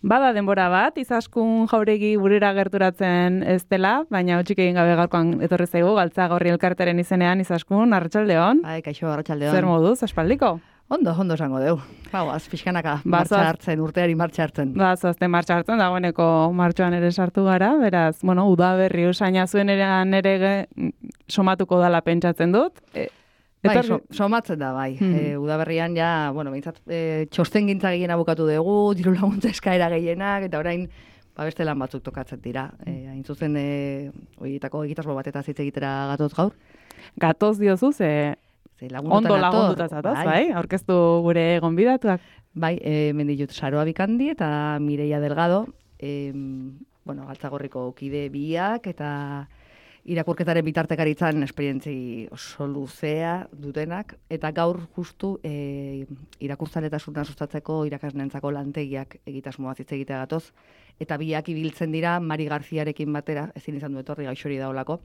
Bada denbora bat, Izaskun Jauregi burera gerturatzen ez dela, baina hotxik egin gabe gaurkoan etorri zaigu, Galtzagorri elkarteren izenean, Izaskun, arratsaldeon. Kaixo, arratsaldeon. Zer moduz, aspaldiko? Ondo esango deu. Bauaz, pixkanaka, urteari martxa hartzen. Zoazte martxa hartzen, dagoeneko martxoan ere sartu gara, beraz, udaberri usaina zuen ere somatuko dala pentsatzen dut. Somatzen da, bai. Udaberrian ja, behintzat, txosten gintza gehiena bukatu dugu, diru laguntza eskaera gehienak, eta orain, beste lan batzuk tokatzen dira. Hain zuzen, horietako egitasmo bat eta zitze egitera gatoz gaur. Gatoz diozu, ondo lagunduta zatoz, bai? Aurkeztu gure gonbidatuak. Bai, menditut Saroa Bikandi eta Mireia Delgado, Galtzagorriko kide biak, eta irakurketaren bitartekaritzan esperientzi oso luzea dutenak, eta gaur justu irakurtzaletasuna sustatzeko irakasneentzako lantegiak egitasmoa hitz egitea gatoz, eta biak ibiltzen dira Mari Garziarekin batera, ezin izan du etorri gaixori daolako,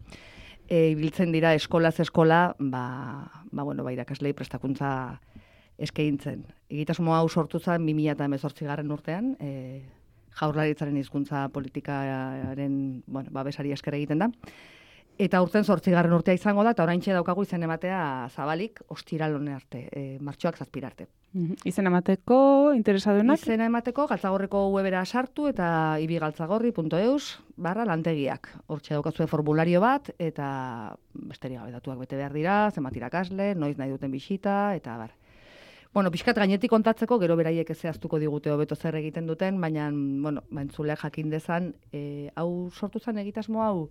ibiltzen dira eskolaz eskola, irakaslei prestakuntza eskaintzen. Egitasmo hau sortu zen 2018 urtean, Jaurlaritzaren hizkuntza politikaren babesari esker egiten da. Eta urten 8. urtea izango da, eta oraintxe daukagu izen ematea zabalik, ostiral hone arte, martxoak 7 arte. Izen emateko, interesadunak? Izen emateko, Galtzagorriko webera sartu eta ibigaltzagorri.eus/lantegiak. Hortxe daukazue formulario bat, eta besterik gabe datuak bete behar dira, zenbat irakasle, noiz nahi duten bisita, eta bar. Pixkat gainetik kontatzeko, gero beraiek zehaztuko digute hobeto zer egiten duten, baina, entzuleak jakin dezan, hau sortu zen egitasmo hau,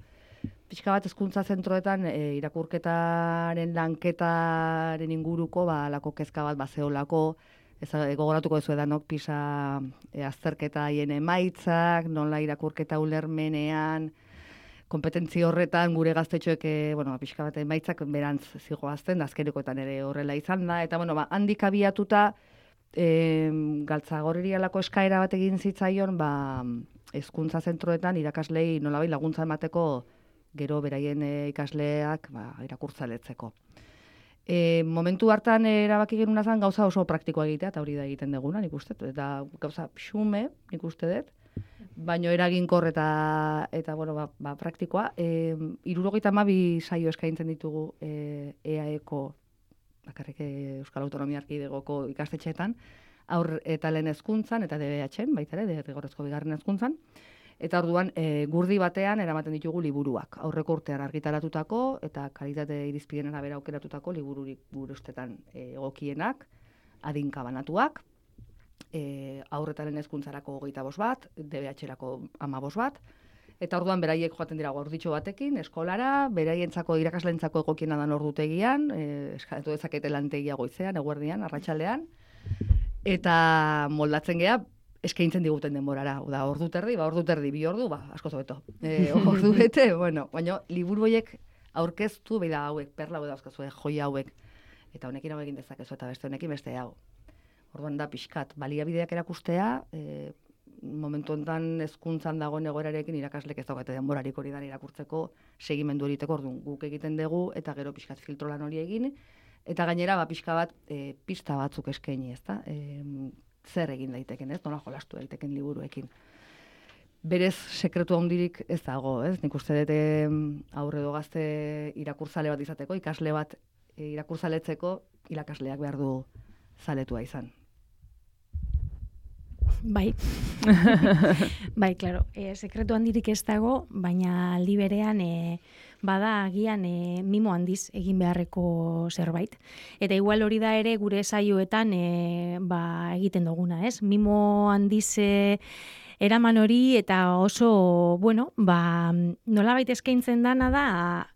pixka bat hezkuntza zentroetan irakurketaren lanketaren inguruko, alako kezka bat bazeolako, gogoratuko duzu edanok PISA azterketa haien emaitzak, nola irakurketa ulermenean, kompetentzi horretan gure gaztetxoek pixka bat emaitzak berantz zigoazten, azkenikoetan ere horrela izan da, eta handik abiatuta Galtzagorri alako eskaera bat egin zitzaion, hezkuntza zentroetan irakaslei nolabait laguntza emateko gero beraien ikasleak irakurtzaletzeko. Momentu hartan erabaki genuna zen gauza oso praktikoa egitea, eta hori da egiten deguna, nik uste, eta gauza xume, nik uste dut, baino eraginkor eta praktikoa. 72 saio eskaintzen ditugu EAEko, bakarrik Euskal Autonomia Erkidegoko ikastetxeetan, aur eta lehen hezkuntzan eta DBH-en, baita ere, derrigorrezko bigarren hezkuntzan. Eta orduan, gurdi batean eramaten ditugu liburuak. Aurreko urtean argitaratutako eta kalitate irizpideen arabera aukeratutako libururik gure ustetan egokienak, adinka banatuak, aurretaren hezkuntzarako 25 bat, DBH-erako 15 bat, eta orduan beraiek joaten dira orditxo batekin, eskolara, beraientzako irakaslentzako egokiena dan ordutegian, eskatu dezakete lantegia goizean, eguerdian, arratsaldean, eta moldatzen gea, eskaintzen diguten denborara. Ordu terdi, 2 ordu, asko zobeto. Ordu bete, baina liburu horiek aurkeztu, hauek, perla hau dauzkazue, joia hauek, eta honekin hau egin dezakezu, eta beste honekin beste hau. Orduan da pixkat, baliabideak erakustea, momentu honetan hezkuntzan dagoen egoerarekin irakaslek ez daukate denborarik hori dan irakurtzeko, segimendu egiteko, orduan guk egiten dugu, eta gero pixkat filtro lan hori egin, eta gainera pixka bat pista batzuk eskaini, ezta? Zer egin daiteken, ez? Nola jolastu daiteken liburuekin. Berez, sekretu handirik ez dago, ez? Nik uste dut aurre edo gazte irakurtzale bat izateko, ikasle bat irakurtzaletzeko, irakasleak behar du zaletua izan. Bai, klaro, sekretu handirik ez dago, baina aldi berean bada agian mimo handiz egin beharreko zerbait. Eta igual hori da ere gure saioetan egiten duguna, ez? Mimo handiz eraman hori eta oso, nolabait eskaintzen dana da,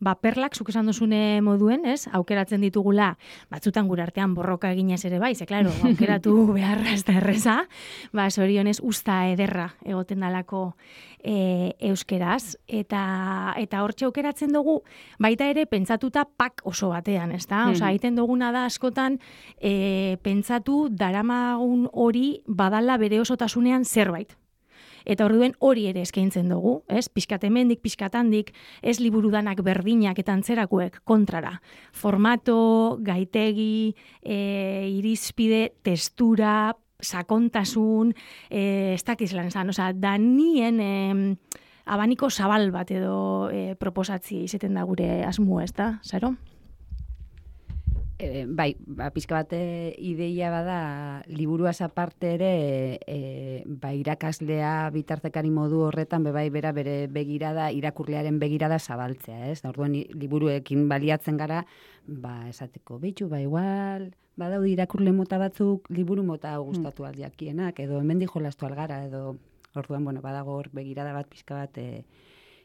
perlak, zuk esan duzune moduen, ez? Aukeratzen ditugula, batzutan gure artean borroka eginez ere bai, klaro, aukeratu beharra ez da erreza, zorionez usta ederra egoten dalako euskeraz, eta hortxe aukeratzen dugu, baita ere pentsatuta pak oso batean, ez da? Egiten duguna da askotan pentsatu daramagun hori badala bere osotasunean zerbait. Eta orduen hori ere eskaintzen dugu, ez? Pixkat hemendik, pixkat handik, ez liburudanak berdinak eta antzerakoek kontrara. Formato, gaitegi, irizpide, testura, sakontasun, ez dakiz lan esan, osea, da nien abaniko zabal bat edo proposatzi izaten da gure asmo, ez da, Saro? Bai, pixka bat ideia bada, liburuaz aparte ere, irakaslea bitartekari modu horretan, bai bera bere begirada, irakurlearen begirada zabaltzea, ez? Da, orduan, liburuekin baliatzen gara, esateko, bitxu, igual, badaude irakurle mota batzuk, liburu mota gustatu aldiakienak, edo hemendik jolastu algara, edo, orduan, badago hor begirada bat pixka bat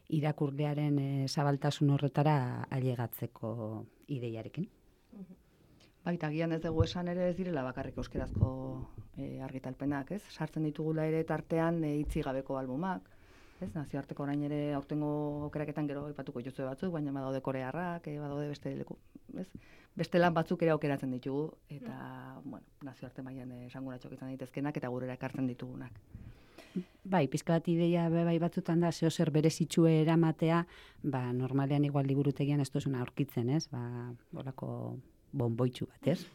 irakurlearen zabaltasun horretara ailegatzeko ideiarekin. Baita, gian ez dugu esan ere ez direla bakarrik euskerazko argitalpenak, ez? Sartzen ditugula ere tartean hitzi gabeko albumak, ez? Nazioarteko orain ere aurtengo aukeraketan gero aipatuko jozue batzuk, baina badaude korearrak, badaude beste leku, ez? Beste lan batzuk ere aukeratzen ditugu, eta, nazioarte mailan esanguratxok izan daitezkenak eta gurera ekartzen ditugunak. Bai, pizka bat ideia bai batzutan da, zeo zer berezitxue eramatea, normalean igual liburutegian ez duzuna aurkitzen, ez? Horako bonboitxu bat, ez?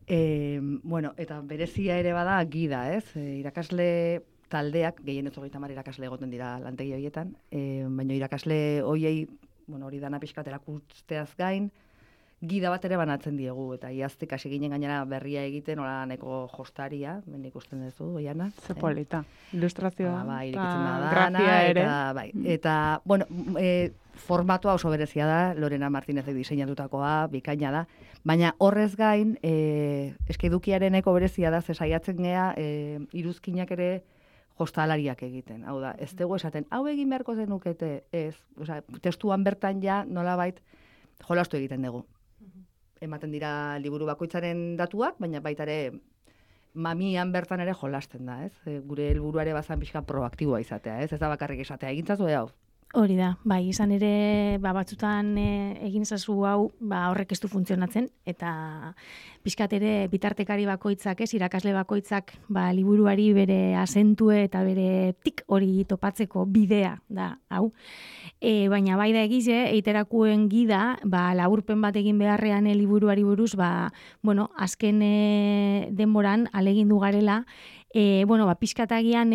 Eta berezia ere bada gida, ez? Irakasle taldeak, gehienez 30 irakasle egoten dira lantegi horietan, baina irakasle hoiei, hori dana pixkat erakusteaz gain, gida bat ere banatzen diegu, eta iaztik hasi ginen gainera berria egiten, hola neko jostaria, ben ikusten duzu, Oiana. Ze polita. Ilustrazioa. Grafia ere. Eta, formatua oso berezia da, Lorena Martinezek diseinatutakoa, bikaina da, baina horrez gain, edukiareneko berezia da, saiatzen gea, iruzkinak ere jostalariak egiten. Hau da, ez dugu esaten, hau egin beharko zenukete, ez, testuan bertan ja nolabait jolastu egiten dugu. Ematen dira liburu bakoitzaren datuak, baina baita ere mamian bertan ere jolasten da, ez? Gure helburuare bazan pixka proaktiboa izatea, ez? Ez da bakarrik esatea, egintzazu hau. Hori da, izan ere batzutan egin zazu hau horrek ez du funtzionatzen, eta pixkat ere bitartekari bakoitzak, ez, irakasle bakoitzak liburuari bere asentue eta bere tik hori topatzeko bidea da, hau. Baina bai da egize, eiterakuen gida, laburpen bat egin beharrean liburuari buruz, azken denboran alegindu garela, pixkatagian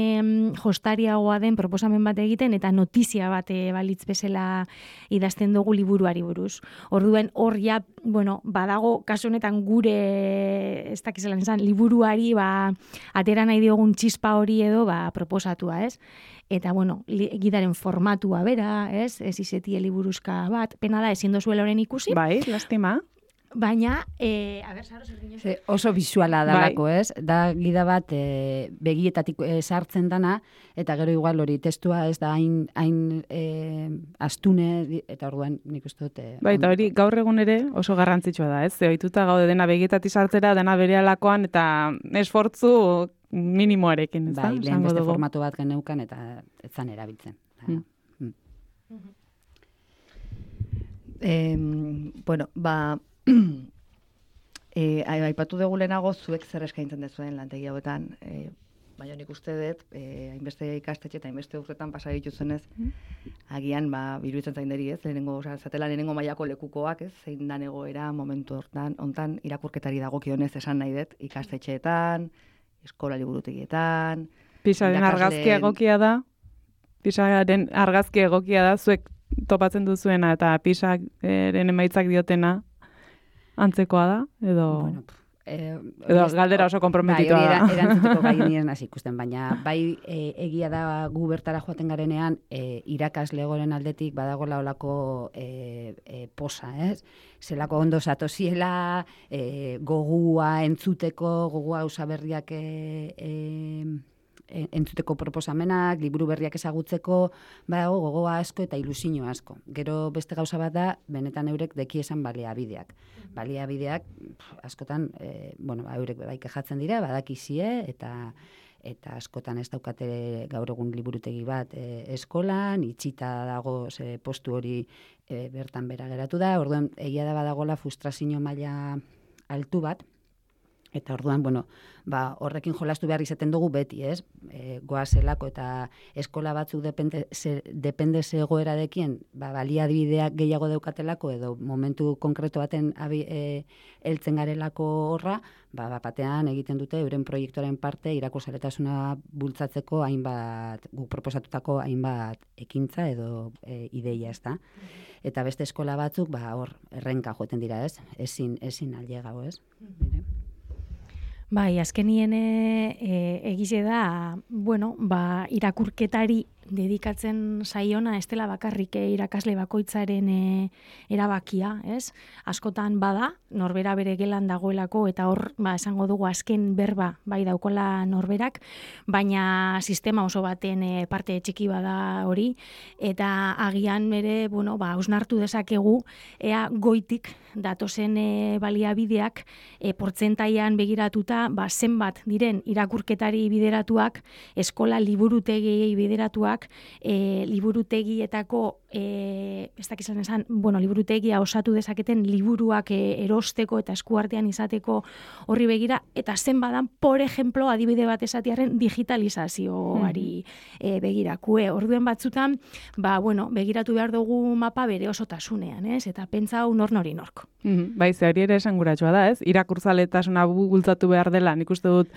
jostariagoa den proposamen bat egiten eta notizia bat balitz bezala idazten dugu liburuari buruz. Orduan hor ja, badago kasu honetan gure ez dakizelan esan liburuari atera nahi diogun txispa hori edo proposatua, ez? Eta gidaren formatua bera, ez izetie liburuzka bat, pena da ezin dozuela horren ikusi. Bai, lastima. Baina, Saro, zer ginen? Oso bisuala dalako, ez? Da gida bat begietatik sartzen dana, eta gero igual hori testua ez da hain astune, eta orduan nik uste dut... Eta hori gaur egun ere oso garrantzitsua da, ez? Ohituta gaude dena begietatik sartzera, dena berealakoan, eta esfortzu minimoarekin, ez da? Lehen beste formatu bat geneukan, eta ez zan erabiltzen. Aipatu dugu lehenago zuek zer eskaintzen dezuen lantegi hauetan, baina nik uste dut, hainbeste ikastetxe eta hainbeste urtetan pasa dituzenez, agian iruditzen zain deri, ez, zatela lehenengo mailako lekukoak, ez, zein dan egoera momentu hontan irakurketari dagokionez esan nahi dut, ikastetxeetan, eskola liburutegietan. Pisaren argazki egokia da, zuek topatzen duzuena eta pisaren emaitzak diotena antzekoa da, edo galdera oso komprometitua da. Erantzuteko gai nien hasi ikusten, baina egia da gu bertara joaten garenean irakasle goren aldetik badagola olako posa, ez? Zelako ondo zatosiela, gogua entzuteko, gogua usaberriak entzuteko proposamenak, liburu berriak ezagutzeko, badago gogoa asko eta ilusio asko. Gero beste gauza bat da, benetan eurek deki esan baliabideak. Baliabideak, askotan, eurek bai kejatzen dira, badakizie, eta askotan ez daukate gaur egun liburutegi bat eskolan, itxita dago postu hori bertan bera geratu da, orduan egia da badagola frustrazio maila altu bat, Eta orduan, bueno, horrekin jolastu behar izaten dugu beti, ez? Goazelako eta eskola batzuk depende zegoeradekien, baliabideak gehiago daukatelako edo momentu konkreto baten heltzen garelako horra, batean egiten dute euren proiektuaren parte irakurzaletasuna bultzatzeko guk proposatutako hainbat ekintza edo ideia, ez da? Eta beste eskola batzuk, hor, errenka joeten dira, ez? Ezin ailegau, ez? Bai, azkenien egize da, irakurketari dedikatzen saiona ez dela bakarrik irakasle bakoitzaren erabakia, ez? Askotan bada, norbera bere gelan dagoelako eta hor, esango dugu azken berba bai daukola norberak, baina sistema oso baten parte txiki bada hori, eta agian bere, hausnartu dezakegu, ea goitik datozen baliabideak portzentaian begiratuta, zenbat diren irakurketari bideratuak, eskola liburutegiei bideratuak, liburutegietako liburutegia osatu dezaketen liburuak erosteko eta eskuartean izateko horri begira, eta zenbadan, por ejemplo, adibide bat esatiarren digitalizazioari begirakue. Orduen batzutan, begiratu behar dugu mapa bere osotasunean, ez? Eta pentsa hau nori nork. Bai, ze hori ere esanguratsua da, ez? Irakurtzaletasuna bultzatu behar dela, nik uste dut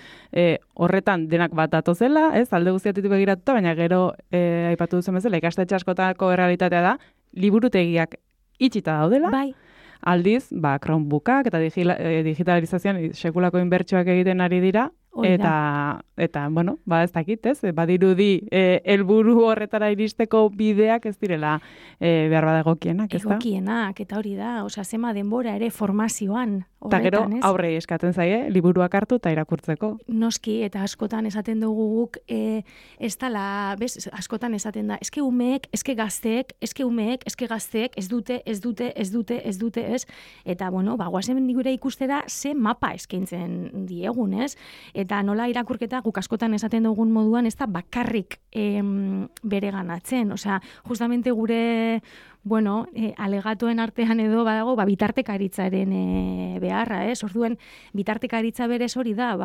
horretan denak bat datozela, ez? Alde guztiatitu begiratuta, baina gero aipatu duzen bezala, ikastetxe askotako errealitatea da, liburutegiak itxita daudela, bai. Aldiz, Chromebookak eta digitalizazioan sekulako inbertsioak egiten ari dira, eta ez dakit, ez? Badirudi helburu horretara iristeko bideak ez direla behar bada egokienak, ez da? Egokienak, eta hori da, zema denbora ere formazioan horretan, eta gero, aurrei eskatzen zaie, liburuak hartu eta irakurtzeko. Noski, eta askotan esaten dugu guk, ez dala, askotan esaten da, eske umeek, eske gazteek, ez dute, ez? Eta, guazen gure ikustera, ze mapa eskaintzen diegun, ez? Eta nola irakurketa guk askotan esaten dugun moduan ez da bakarrik bere ganatzen. Osea, justamente gure alegatoen artean edo badago bitartekaritzaren beharra, ez? Orduen, bitartekaritza berez hori da,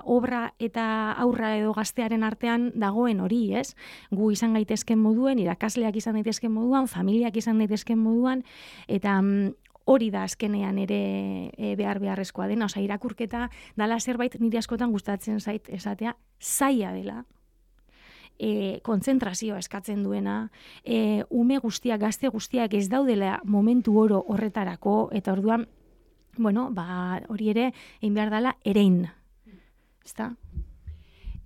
obra eta aurra edo gaztearen artean dagoen hori, ez? Gu izan gaitezken moduen, irakasleak izan daitezken moduan, familiak izan daitezken moduan, eta hori da azkenean ere beharrezkoa dena, irakurketa dala zerbait nire askotan gustatzen zait esatea, zaila dela, kontzentrazioa eskatzen duena, ume guztiak, gazte guztiak ez daudela momentu oro horretarako, eta orduan, hori ere, egin behar dela erein, ezta?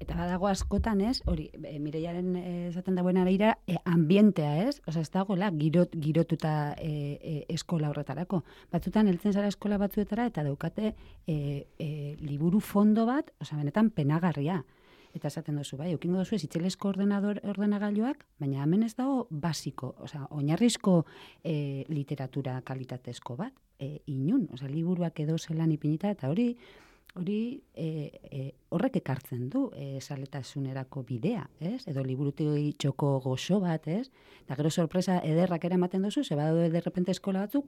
Eta badago askotan, ez, hori, Mireiaren esaten dagoen araira, ambientea, ez? Osa, ez dagoela girotuta eskola horretarako. Batzutan, heltzen zara eskola batzuetara, eta daukate liburu fondo bat, osa, benetan penagarria. Eta esaten duzu, eukingo duzu ez itzelesko ordenagailuak, baina hemen ez dago basiko, osa, oinarrizko literatura kalitatezko bat, inun, osa, liburuak edo zelan ipinita, eta hori horrek ekartzen du zaletasunerako bidea, ez? Edo liburutegi txoko goxo bat, ez? Eta gero sorpresa ederrak eramaten duzu, ze badaude derrepente eskola batzuk,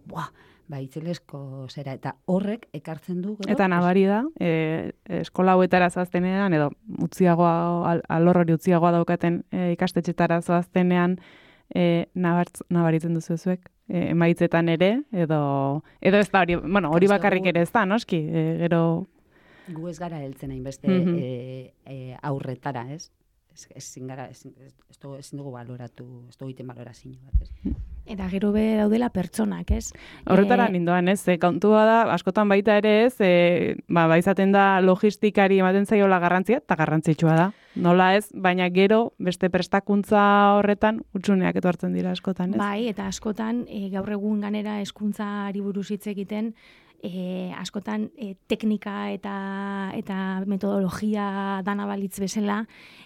itzelesko zera, eta horrek ekartzen du. Gero, eta nabari da, eskola hauetara zoaztenean, edo alor hori utziagoa daukaten ikastetxetara zoaztenean, nabaritzen duzu zuek, emaitzetan ere, edo ez da hori, hori bakarrik ere ez da, noski, gero... Gu ez gara heltzen hainbeste aurretara, ez? Ezin dugu baloratu, ez dugu iten balorazio bat, ez? Eta gero be daudela pertsonak, ez? Horretara nindoan, ez? Kontua da, askotan baita ere ez, izaten da logistikari ematen zaiola garrantzia, eta garrantzitsua da. Nola ez, baina gero beste prestakuntza horretan utsuneak etortzen dira askotan, ez? Bai, eta askotan gaur egun ganera hezkuntzari buruz hitz egiten, askotan teknika eta metodologia dana balitz bezala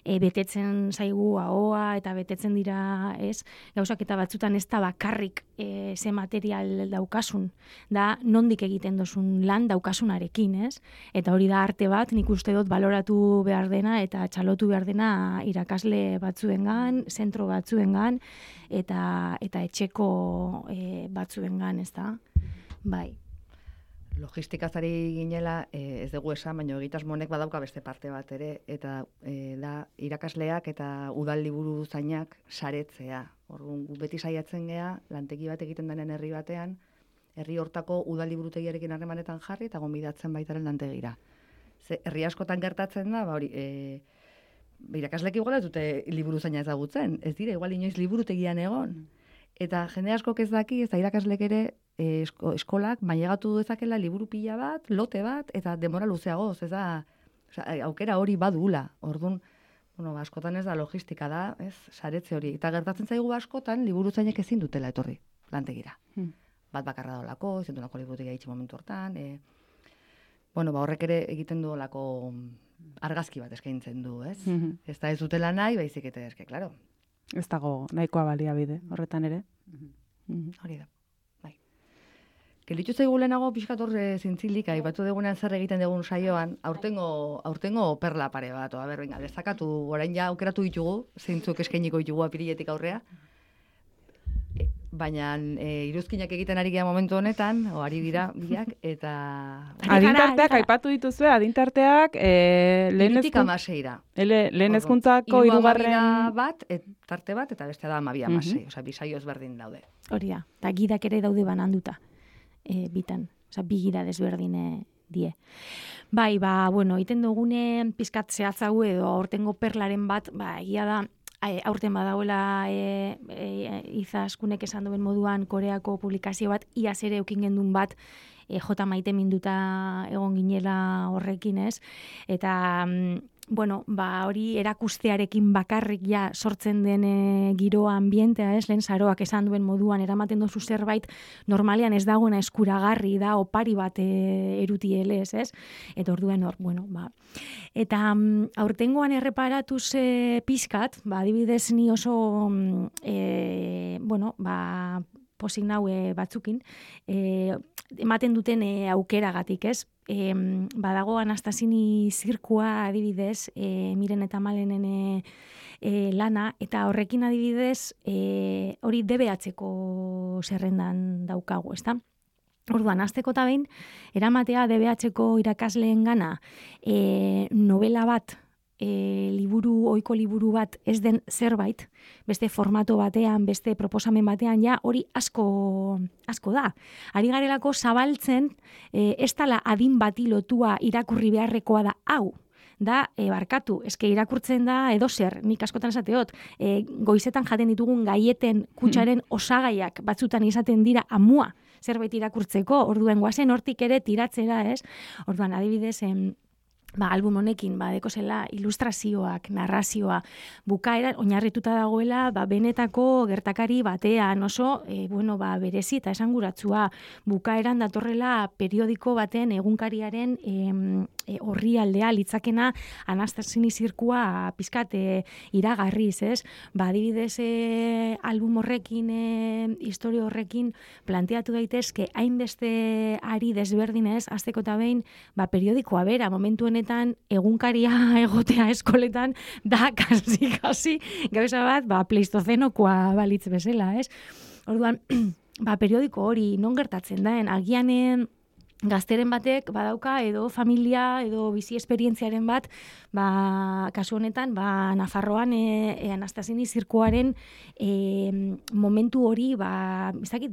betetzen zaigu ahoa eta betetzen dira, ez? Gauzak eta batzutan ez da bakarrik ze material daukasun, da nondik egiten dozun lan daukasunarekin, ez? Eta hori da arte bat, nik uste dut baloratu behar dena eta txalotu behar dena irakasle batzuengan, zentro batzuengan eta etxeko batzuengan, ez da? Bai. Logistikazari ginela, ez dugu esan, baina egitasmonek badauka beste parte bat ere, eta da irakasleak eta udal liburu zainak saretzea. Orduan, beti saiatzen gea, lantegi bat egiten denen herri batean, herri hortako udal liburutegiarekin harremanetan jarri eta gonbidatzen baitaren lantegira. Ze herri askotan gertatzen da, hori, irakaslek igual ez dute liburu zaina ezagutzen, ez dira, igual inoiz liburutegian egon. Eta jende askok ez daki, ez da irakaslek ere eskolak mailegatu dezakela liburu pila bat, lote bat, eta denbora luzeagoz, ez da, aukera hori badula. Orduan, askotan ez da logistika da, ez, saretze hori. Eta gertatzen zaigu askotan, liburu zainek ezin dutela etorri, lantegira. Bat bakarra dolako, izan duelako liburutegia itxi momentu hortan. Horrek ere egiten du olako argazki bat eskaintzen du, ez? Ez da ez dutela nahi, baizik eta eske, klaro. Ez dago nahikoa baliabide, horretan ere. Hori da, bai. Gelditu zaigu lehenago pixkat hor zintzilik, aipatu dugunean zer egiten dugun saioan, aurtengo perla pare bat, venga, dezakatu, orain ja aukeratu ditugu, zeintzuk eskainiko ditugu apiriletik aurrea, baina iruzkinak egiten ari gara momentu honetan, ari dira biak, eta... Adintarteak, aipatu dituzue, adintarteak, lehen hezkuntzako hirugarren bat, tarte bat, eta beste da 12-16, osea, bi saio ezberdin daude. Hori da, eta gidak ere daude bananduta, bitan, osea, bi gida desberdine die. Bai, iten dugune pizkat zehatzago edo aurtengo perlaren bat, egia da, aurten badauela Izaskunek esan duen moduan Koreako publikazio bat, iaz ere eukin gendun bat, J. Maite minduta egon ginela horrekin, ez? Eta, hori erakustearekin bakarrik ja sortzen den giroa ambientea, ez? Lehen Saroak esan duen moduan eramaten dozu zerbait, normalean ez dagoena eskuragarri da, opari bat erutielez, ez? Eta orduen hor, Eta aurtengoan erreparatuz pizkat, adibidez ni oso, posik naue batzukin, ematen duten aukeragatik, ez? Badago Anastasini zirkua adibidez, Miren eta Malenen lana, eta horrekin adibidez, hori DBH-ko zerrendan daukagu, ezta? Orduan, hasteko eta behin, eramatea DBH-ko irakasleen gana novela bat, ohiko liburu bat ez den zerbait, beste formato batean, beste proposamen batean, ja hori asko da. Ari garelako zabaltzen, ez dala adin bati lotua irakurri beharrekoa da hau. Da, barkatu, eske irakurtzen da edozer, nik askotan esateot, goizetan jaten ditugun gaieten kutsaren osagaiak batzutan izaten dira amua zerbait irakurtzeko, orduen guazen hortik ere tiratzera, ez? Orduan, adibidez, album honekin, dekozela ilustrazioak, narrazioa, bukaera, oinarrituta dagoela, benetako gertakari batean, oso, berezi eta esanguratsua, bukaeran datorrela periodiko baten egunkariaren orrialdea litzakena Anastasini zirkua pizkat iragarriz, ez? Adibidez, album horrekin, historia horrekin, planteatu daitezke hainbeste ari desberdinez, hasteko eta behin, periodikoa bera, momentu honetan egunkaria egotea eskoletan da kasi gauza bat, pleistozenokoa balitz bezala, ez? Orduan, periodiko hori non gertatzen daen, agian gazteren batek badauka edo familia edo bizi esperientziaren bat, kasu honetan, Nafarroan Anastasini zirkuaren momentu hori,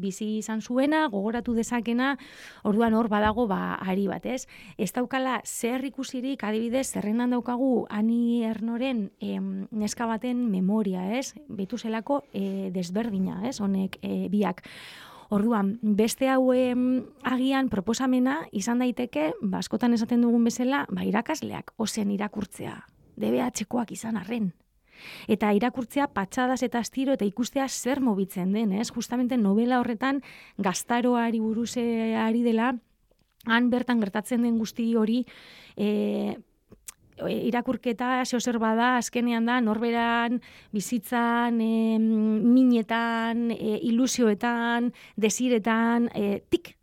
bizi izan zuena, gogoratu dezakena, orduan hor badago ari bat, ez? Ez daukala zer ikusirik, adibidez, zerrendan daukagu Ani Ernoren neska baten memoria, ez? Behitu zelako desberdina, ez? Honek biak. Orduan, beste hau agian proposamena izan daiteke, askotan esaten dugun bezala, irakasleak ozen irakurtzea, DBH-koak izan arren. Eta irakurtzea patxadas eta astiro eta ikustea zer mobitzen den, ez? Justamente novela horretan gaztaroari buruz ari dela, han bertan gertatzen den guzti hori, irakurketa zer bada, azkenean da, norberan, bizitzan, minetan, ilusioetan, desiretan, tik,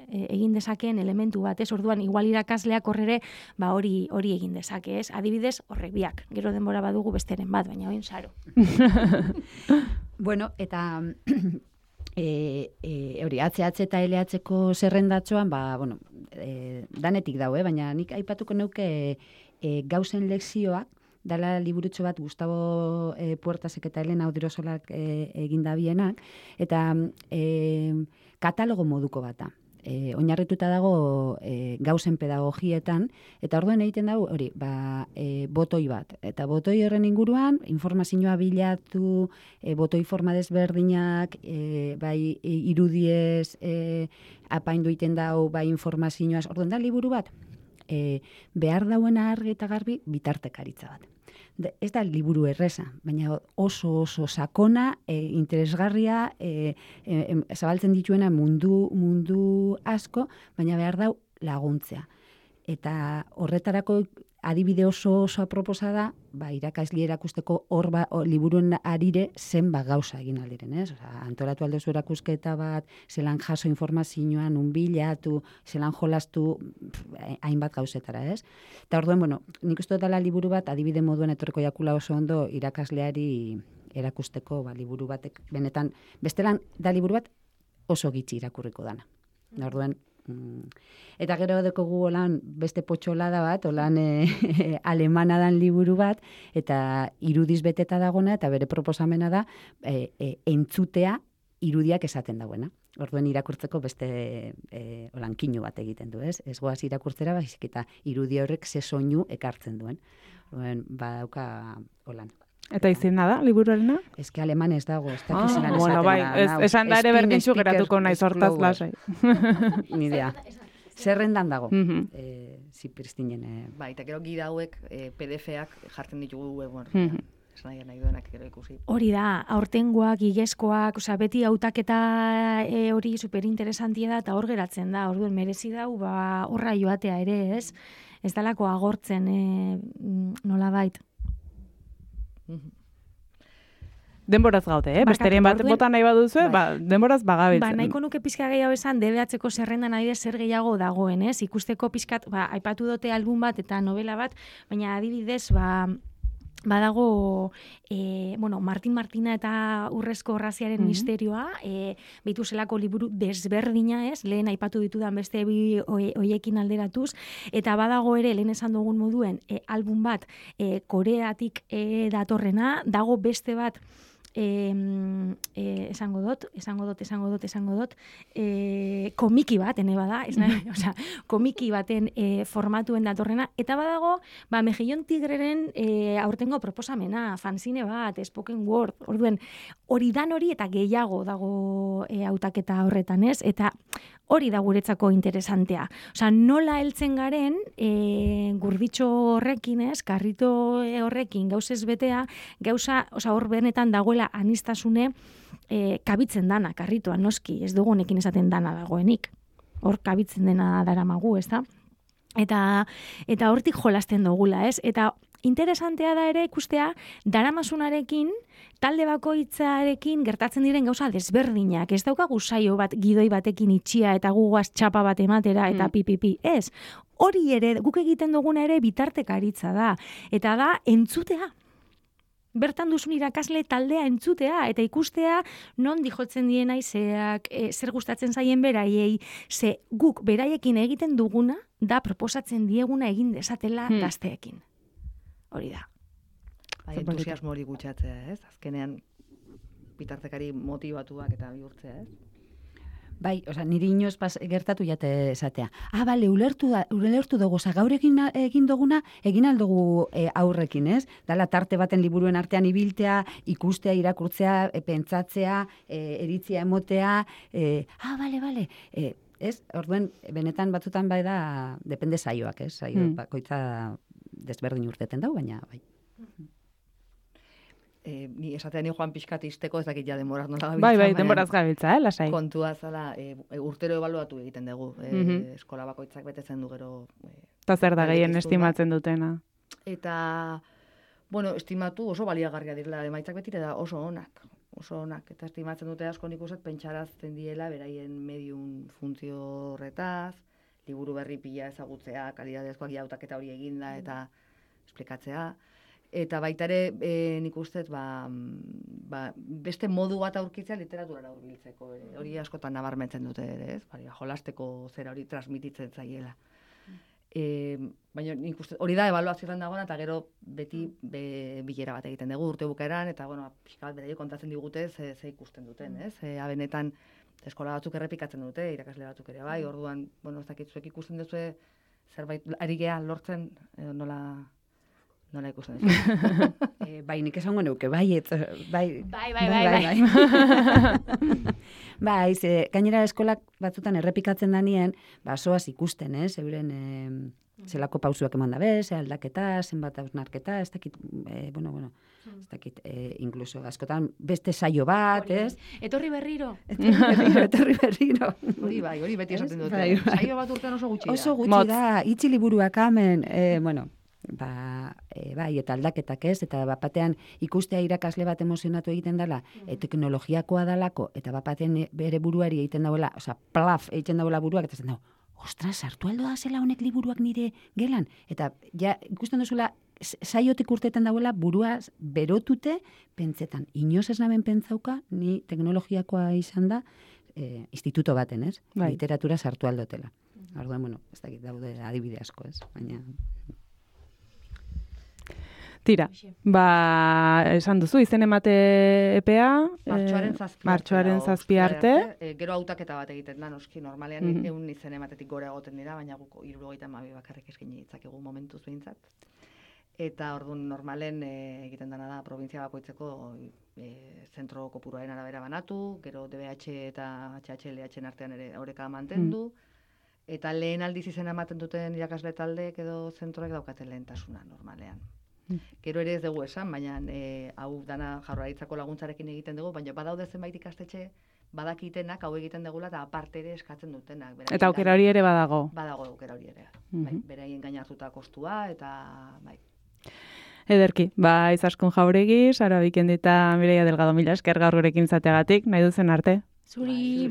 egin dezakeen elementu bat, ez? Orduan, igual irakasleak horrere, hori egin dezake, ez? Adibidez, horrek biak, gero denbora badugu besteren bat, baina oin Saro. Bueno, eta hori, ACH eta LH-ko zerrendatxoan, bueno, danetik dau, baina nik aipatuko neuke gauzen lekzioak, dala liburutxo bat Gustavo Puertasek eta Elena Odirosolak eginda bienak, eta katalogo moduko bata. Oinarrituta dago gauzen pedagogietan, eta orduan egiten dago hori, botoi bat. Eta botoi horren inguruan, informazioa bilatu, botoi forma desberdinak, bai irudiez apaindu egiten dago, bai informazioaz, orduan da liburu bat, behar dauena argi eta garbi bitartekaritza bat. Ez da liburu erreza, baina oso sakona, interesgarria, zabaltzen dituena mundu asko, baina behar dau laguntzea. Eta horretarako adibide oso aproposa da, irakasli erakusteko hor liburuen arire zenbat gauza egin aldiren, ez? Antolatu aldezu erakusketa bat, zelan jaso informazioa, nun bilatu, zelan jolastu, hainbat gauzetara, ez? Eta orduan, nik uste dela liburu bat, adibide moduen etorreko jakula oso ondo irakasleari erakusteko liburu batek, benetan, bestelan da liburu bat oso gitxi irakurriko dana. Orduan, eta gero dekogu holan beste potxolada bat, holan alemana dan liburu bat, eta irudiz beteta dagona, eta bere proposamena da entzutea irudiak esaten dagoena. Orduen irakurtzeko beste holan kinu bat egiten du, ez? Ez goaz irakurtzera, baizik eta irudi horrek ze soinu ekartzen duen. Orduen, badauka holan. Eta izena da, liburuarena? Ez que aleman ez dago, ez da kizenan bueno, bai, esan da ere berdintxu geratuko naiz hortaz lasai. Ni idea. Zerrendan dago, zipristinen. Bai, eta gero gida hauek PDF-ak jartzen ditugu webon. Esan nahi duenak gero ikusi. Hori da, aurtengoak, igezkoak, beti hautaketa hori superinteresantia da, eta hor geratzen da, orduan merezi dau, horra joatea ere, ez? Ez dalako agortzen nolabait. Denboraz gaude, besterien bat bota nahi baduzu, denboraz bagabiltzen. Nahiko nuke pizka gehiago esan, DBH-ko zerrendan adibidez zer gehiago dagoen, ez? Ikusteko pizkat, aipatu dute album bat eta novela bat, baina adibidez, badago, Martin Martina eta Urrezko Orraziaren misterioa, behitu zelako liburu desberdina, ez? Lehen aipatu ditudan beste bi hoiekin alderatuz, eta badago ere, lehen esan dugun moduen, album bat Koreatik datorrena, dago beste bat, esango dut, komiki bat, bada, komiki baten formatuen datorrena, eta badago, Mejillon Tigreren aurtengo proposamena, fanzine bat, spoken word, orduen, hori dan hori eta gehiago dago hautaketa horretan, ez? Eta hori da guretzako interesantea. Nola heltzen garen, gurditxo horrekin, ez, karrito horrekin, gauzez betea, hor benetan dagoela anistasune kabitzen dana, karritoan, noski, ez dugu honekin esaten dana dagoenik. Hor kabitzen dena daramagu, ez da? Eta hortik jolasten dugula, ez? Eta interesantea da ere ikustea, daramasunarekin, talde bakoitzarekin gertatzen diren gauza desberdinak. Ez daukagu saio bat gidoi batekin itxia eta gugoaz txapa bat ematera eta pipipi. Ez, hori ere, guk egiten duguna ere bitartekaritza da. Eta da, entzutea. Bertan duzun irakasle taldea entzutea eta ikustea non dijotzen dien aizeak, zer gustatzen zaien beraiei, ze guk beraiekin egiten duguna da proposatzen dieguna egin desatela gazteekin. Hori da. Entusiasmo hori gutxatzea, ez? Azkenean bitartekari motibatuak eta bihurtzea, ez? Bai, niri inoz gertatu jate esatea. Bale, ulertu dugu, gaur egin duguna, egin aldugu aurrekin, ez? Dala tarte baten liburuen artean ibiltea, ikustea, irakurtzea, pentsatzea, eritzia emotea, bale. Ez, orduen, benetan batzutan bai da, depende saioak, ez? Saio bakoitza desberdin urteten dau, baina bai. Ni esatean joan pixkat izteko, ez dakit ja denboraz nola gabiltza. Bai, denboraz gabiltza, lasai. Kontua zala, urtero ebaluatu egiten dugu. Eskola bakoitzak betetzen du gero. Eta zer da gehien estimatzen dutena? Eta, estimatu oso baliagarria direla, emaitzak betire da oso onak. Eta estimatzen dute asko nik uste pentsarazten diela, beraien medium funtzio horretaz, liburu berri pila ezagutzea, kalidadezkoak hautaketa hori eginda eta esplikatzea. Eta baita ere, nik uste, beste modu bat aurkitzea literaturara hurbiltzeko. Hori askotan nabarmentzen dute ere, ez? Jolasteko zera hori transmititzen zaiela. Baina nik uste, hori da ebaluazioan dagoena, eta gero beti bilera bat egiten dugu urte bukaeran, eta pixka bat beraiek kontatzen digute ze ikusten duten, ez? Benetan, eskola batzuk errepikatzen dute, irakasle batzuk ere bai, orduan, ez dakit zuek ikusten duzue, zerbait ari gea lortzen, nola ikusten duzu. Bai, nik esango neuke, bai. Bai, gainera eskolak batzutan errepikatzen danien, soaz ikusten, euren zelako pausuak eman dabe, aldaketa, zenbat hausnarketa, ez dakit, ez dakit, inkluso askotan beste saio bat, ez? Etorri berriro. Etorri berriro. Hori beti esaten dute. Saio bat urtean oso gutxi da. Oso gutxi da, itxi liburuak hemen, bai, eta aldaketak ez, eta bapatean ikustea irakasle bat emozionatu egiten dela, teknologiakoa dalako, eta bapatean bere buruari egiten dauela, plaf egiten dauela buruak, eta zen dago, ostras, sartu aldo da zela honek liburuak nire gelan, eta ja ikusten duzula, saiotik urtetan dauela buruaz berotute, pentsetan, inoz ez naben pentsauka, ni teknologiakoa izan da, instituto baten, ez? Literatura sartu aldotela. Orduan, ez dakit daude adibide asko, ez? Baina... Tira, esan duzu, izen emate epea, martxoaren 7 arte. Gero hautaketa bat egiten da, noski, normalean egun izen ematetik gora egoten dira, baina guk 72 bakarrik eskaini ditzakegu momentuz behintzat. Eta orduan normalen egiten dena da, provintzia bakoitzeko zentro kopuruaren arabera banatu, gero DBH eta HHLH-en artean ere oreka mantendu, eta lehen aldiz izena ematen duten irakasle taldeek edo zentroek daukaten lehentasuna normalean. Gero ere ez dugu esan, baina hau dana Jaurlaritzako laguntzarekin egiten dugu, baina badaude zenbait ikastetxe badakitenak hau egiten dugula eta aparte ere eskatzen dutenak. Eta aukera hori ere badago. Badago aukera hori ere. Beraien gain hartuta kostua eta bai. Ederki, Izaskun Jauregi, Sara Bikendi eta Mireia Delgado, mila esker gaur gurekin zateagatik, nahi duzen arte. Zuri.